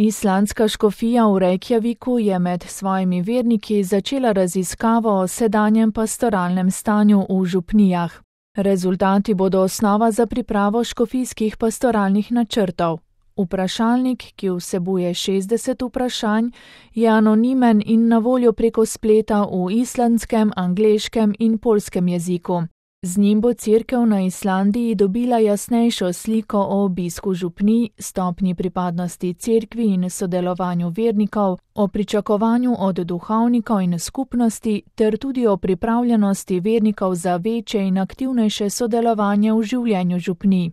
Islandska škofija v Reykjaviku je med svojimi verniki začela raziskavo o sedanjem pastoralnem stanju v župnijah. Rezultati bodo osnova za pripravo škofijskih pastoralnih načrtov. Vprašalnik, ki vsebuje 60 vprašanj, je anonimen in na voljo preko spleta v islandskem, angleškem in poljskem jeziku. Z njim bo cerkev na Islandiji dobila jasnejšo sliko o obisku župnij, stopnji pripadnosti cerkvi in sodelovanju vernikov, o pričakovanju od duhovnikov in skupnosti ter tudi o pripravljenosti vernikov za večje in aktivnejše sodelovanje v življenju župnij.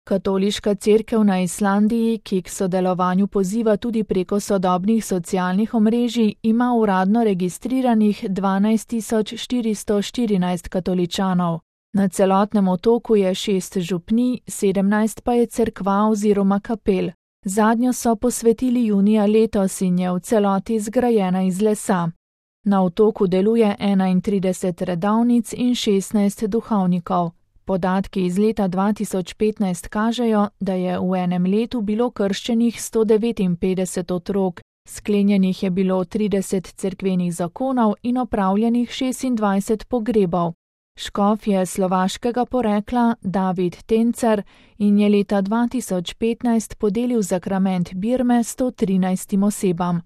Katoliška cerkev na Islandiji, ki k sodelovanju poziva tudi preko sodobnih socialnih omrežij, ima uradno registriranih 12.414 katoličanov. Na celotnem otoku je 6 župnij, 17 pa je cerkva oziroma kapel. Zadnjo so posvetili junija letos in je v celoti zgrajena iz lesa. Na otoku deluje 31 redovnic in 16 duhovnikov. Podatki iz leta 2015 kažejo, da je v enem letu bilo krščenih 159 otrok, sklenjenih je bilo 30 cerkvenih zakonov in opravljenih 26 pogrebov. Škof je slovaškega porekla David Tencer in je leta 2015 podelil zakrament birme 113 osebam.